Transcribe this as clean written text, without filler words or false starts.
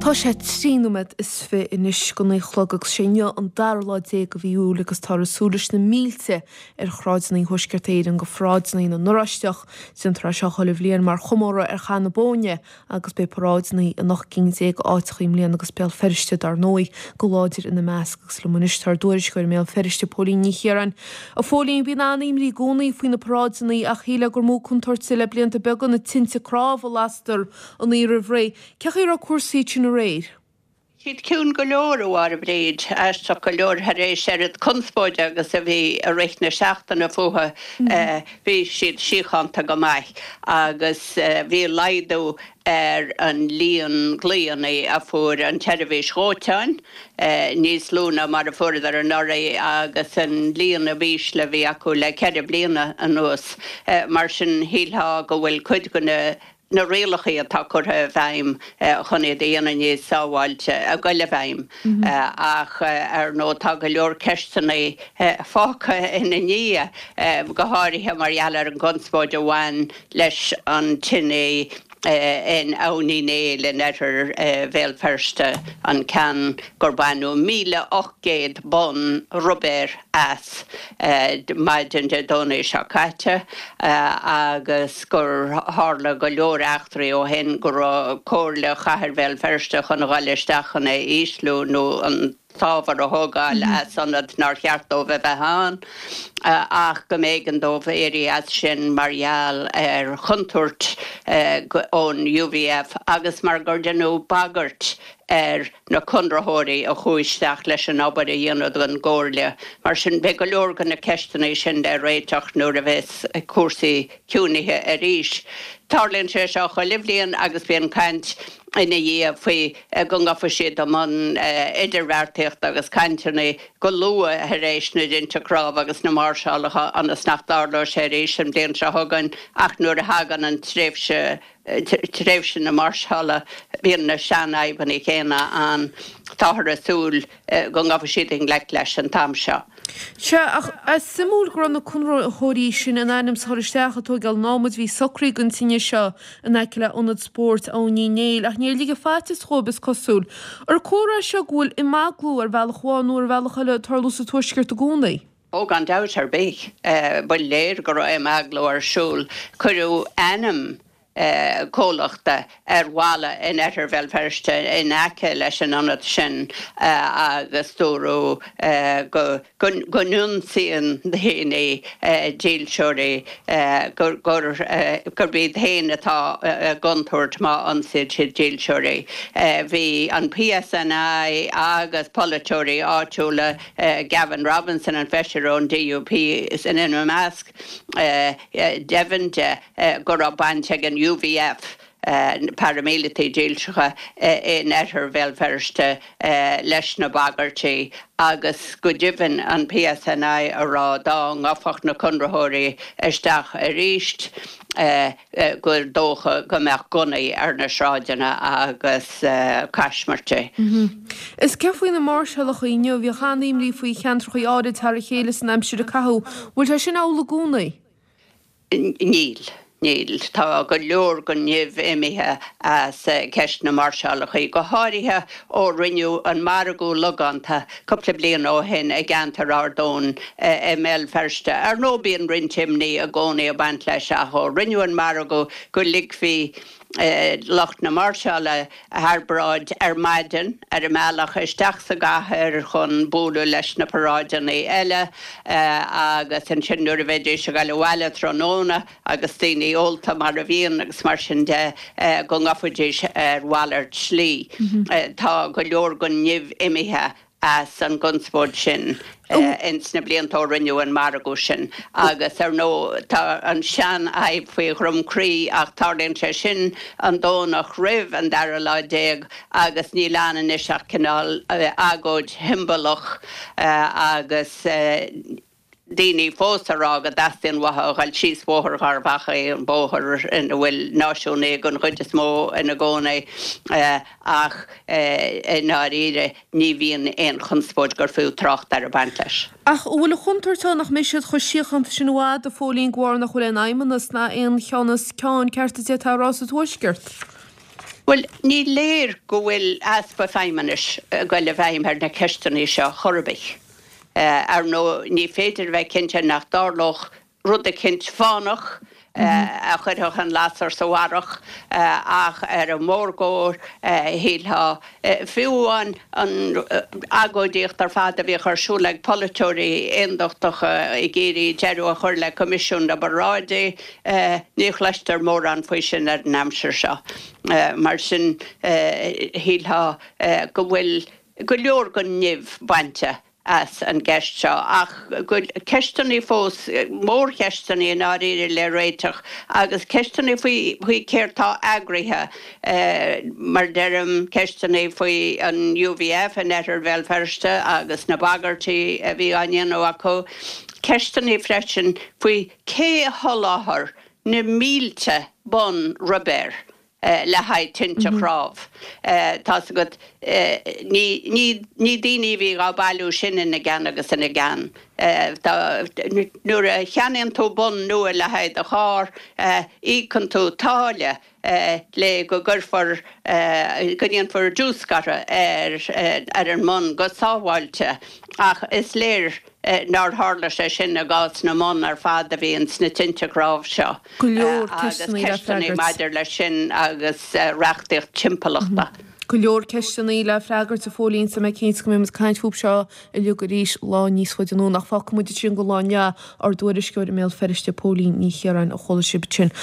Tá sé 23 nóiméad anois go 9 a chlog agus sé inniu an dara lá déag de mhí Iúil agus táthar ag súil leis na mílte ar shráideanna Thuaisceart Éireann go pharáideanna na nOráisteach. Déantar é seo chuile bhliain mar chomóradh ar Chath na Bóinne agus beidh paráideanna in 18 gcinn d'áiteacha i mbliana agus Béal Feirste dar ndóigh go láidir ina measc agus liom anois tá ár dtuairisceoir i mBéal Feirste, Póilín Ní Chiaráin. A Phóilín, bíonn an-imní i gcónaí faoi na paráideanna ach shílfeá gur mó contúirt le blianta beaga na tinte cnámh a lastar an oíche roimh ré. Cén chaoi a raibh cúrsaí ansin aréir? Bhí siad ciúin go leor, a Mháire Bríd, aisteach go leor thar éis oiread conspóide agus a bhí i rith na seachtaine fúthu, bhí siad síochánta go maith agus bhí laghdú ar an líon glaonna a fuair an tseirbhís dhóiteáin, níos lú ná mar a fuaireadar anuraidh agus an líon ab ísle a bhí acu le ceithre bliana anuas. Mar sin shílfeá go bhfuil cuid de na na rialacha atá curtha i bhfeidhm chun iad a dhéanamh níos sábháilte ag goil i bhfeidhm. Ach ar ndóigh tá go leor ceisteanna fágtha ina ndiaidh, go háirithe mar gheall ar an gconspóid a bhain leis an tine in Abhainn Uí Néill in oirthear Bhéal Feirste, an ceann gur baineadh 1,800 bonn ruibéir as maidin Dé Domhnaigh seo caite agus gur tharla go leor eachtraí ó shin, go raibh Comhairle Chathair Bhéal Feirste chun a dhul isteach chun é a ísliú nó an t-ábhar a thógáil as ionad nár cheart dóibh a bheith ann ach go mb'éigean dóibh éirí as sin mar gheall ar chontúirt ón UVF agus mar gur deineadh bagairt ar na conraitheoirí a chuaigh isteach leis an obair a dhéanamh don gComhairle. Mar sin, beidh go leor de na ceisteanna sin le réiteach nuair a bheas cúrsaí ciúinithe arís. Tarlaíonn sé seo chuile bhliain agus bíonn caint ina dhiaidh faoi go ngabhfaidh siad i mbun idirbheartaíochta agus cainteanna go luath tar éis na dtinte cnámh agus na máirseálacha ionas nach dtarlóidh sé arís an bhliain seo chugainn ach nuair a thagann an tréimhse tréimhse na máirseála, bíonn na seanfhadhbanna céanna ann. Táthar ag súil go ngabhfaidh siad i ngleic leis an t-am seo. Sea, ach is suimiúil go raibh na conraitheoirí sin in ainm is a dhul isteach ag tóigeáil an adhmaid. Bhí socraithe don tine seo in aice le ionad spóirt Abhainn Uí Néill, ach níor ligeadh faitíos dhóibh, is cosúil. Ar comhartha é seo go bhfuil imeaglú ar bhealach amháin nó ar bhealach eile ag tarlú sa Tuaisceart i gcónaí? Ó, gan dabht ar bith, ba léir go raibh imeaglú ar siúl. Cuireadh ainm comhlachta ar bhalla in oirthear Bhéal Feirste in aice leis an ionad sin agus dúradh go go n-ionsaíonn daoine dílseoirí, gurb iad féin atá i gcontúirt má ionsaíonn siad dílseoirí. Bhí an PSNI agus polaiteoirí áitiúla Gavin Robinson, an feisire ón DUP, ina measc, deimhin de go raibh baint ag an UVF, na paraimíleataigh dílseacha in oirthear Bhéal Feirste, leis na bagairtí agus go deimhin an PSNI a rá dá ngabhfadh na conraitheoirí isteach arís, gur dócha go mbeadh gunnaí ar na sráideanna agus caismirtí. Is céard faoi na máirseálacha inniu? Bhíodh an-imní faoi cheantracha áirid thar a chéile san aimsir a caitheadh. Bhfuil sé sin amhlaidh i gcónaí? Níl. Níl. Tá go leor den nimh imithe as ceist na máirseálacha, go háirithe ó rinneadh an margadh logánta cúpla bliain ó shin i gceantar Ard Eoin i mBéal Feirste. Ar ndóigh bíonn roinnt imní i gcónaí ag baint leis ach ó rinneadh an margadh go ligfí lucht na máirseála thar bráid ar maidin ar a mbealach isteach sa gcathair chun bualadh leis na paráideanna eile agus ansin nuair a bheidís ag dul abhaile tráthnóna agus daoine ólta mar a bhíonn agus mar sin de go ngabhfaidís ar mhalairt slí. Tá go leor den nimh imithe as an gconspóid sin ins na blianta ó rinneadh an margadh sin agus ar ndóigh tá an seanfhadhb faoi Dhroim Crí ach tarlaíonn sé sin an Domhnach roimh an dara lá déag agus níl ann anois ach cineál agóid shiombalach agus daoine fós a rá go dteastaíonn uathu a dhul síos Bóthar Gharbh Achaidh, an bóthar ina bhfuil náisiúnaigh den chuid is mó ina gcónaí, ach i ndáiríre ní bhíonn aon chonspóid gur fiú trácht air ag baint leis. Ach an bhfuil an chontúirt ann nach mbeidh siad chomh síochánta sin i bhfad, a Phóilín, de bharr nach bhfuil aon fheidhmeannas ná aon cheannas ceann ceart a d'fhéadfá a rá sa Tuaisceart? Bhuel, ní léir go bhfuil easpa feidhmeannais ag goil i bhfeidhm ar na ceisteanna seo chor ar bith. Ar ndóigh, ní féidir a bheith cinnte nach dtarlódh rud eicint fánach a chuirfeadh an lasair sa bharrach ach ar an mórgóir, shílfeá, fiú amháin an agóidíocht ar fad a bhíodh ar siúl ag polaiteoirí aondachtacha ag iarraidh deireadh a chur le Coimisiún na bParáidí, ní chloistear mórán faoi sin ar an aimsir seo. Mar sin, shílfeá go bhfuil go leor den nimh bainte as an gceist seo, ach go bhfuil ceisteanna fós, mórcheisteanna i ndáiríre le réiteach agus ceisteanna faoi faoi céard tá eagraithe, mar deirim, ceisteanna faoi an UVF in oirthear Bhéal Feirste agus na bagairtí a bhí á ndéanamh acu, ceisteanna freisin faoi cé a sholáthair na mílte bonn ruibéir le haghaidh tinte chnámh. Tá's agat, ní daoine a bhí á bailiú sin ina gceann agus ina gceann. Nuair a cheannaíonn tú bonn nua le haghaidh do charr, íocann tú táille le go gcuirfear, go ndéanfar diúscartha ar an mbonn go sábháilte ach is léir nár tharla sé sin i gcás na mbonn ar fad a bhí ins na tinte cnámh seo. Go leor agus ceisteanna le ceisteanna freagairt. maidir leis sin agus reachtaíocht timpeallachta. Go leor ceisteanna le freagairt, a Phóilín, tá mé cinnte go mbeidh muid ag caint fúthu seo uilig arís lá níos faide anonn. Ach fágfaidh muid ansin don lá inniu ár dtuairisceoir i mBéal Feirste, Póilín Ní Chiaráin, a chuala sibh ansin.